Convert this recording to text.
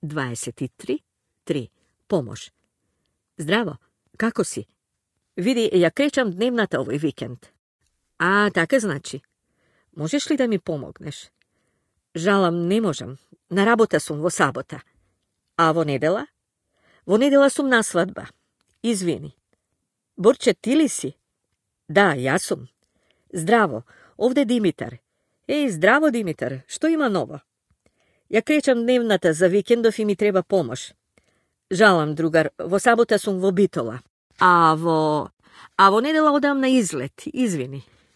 23, 3. Pomož. Zdravo, kako si? Vidi, ja krećam dnevnata ovaj vikend. A, tako znači. Možeš li da mi pomogneš? Žalam, ne možem. Na rabota sum vo sabota. A vo nedela? Vo nedela sum na svadba. Izvini. Borče, ti li si? Da, ja sum. Zdravo, ovde Dimitar. Ej, zdravo Dimitar, što ima novo? Ja krećam dnevnata za vikendov i mi treba pomož. Žalam, drugar, vo sabota sum vo Bitola. A vo nedela odam na izlet, izvini.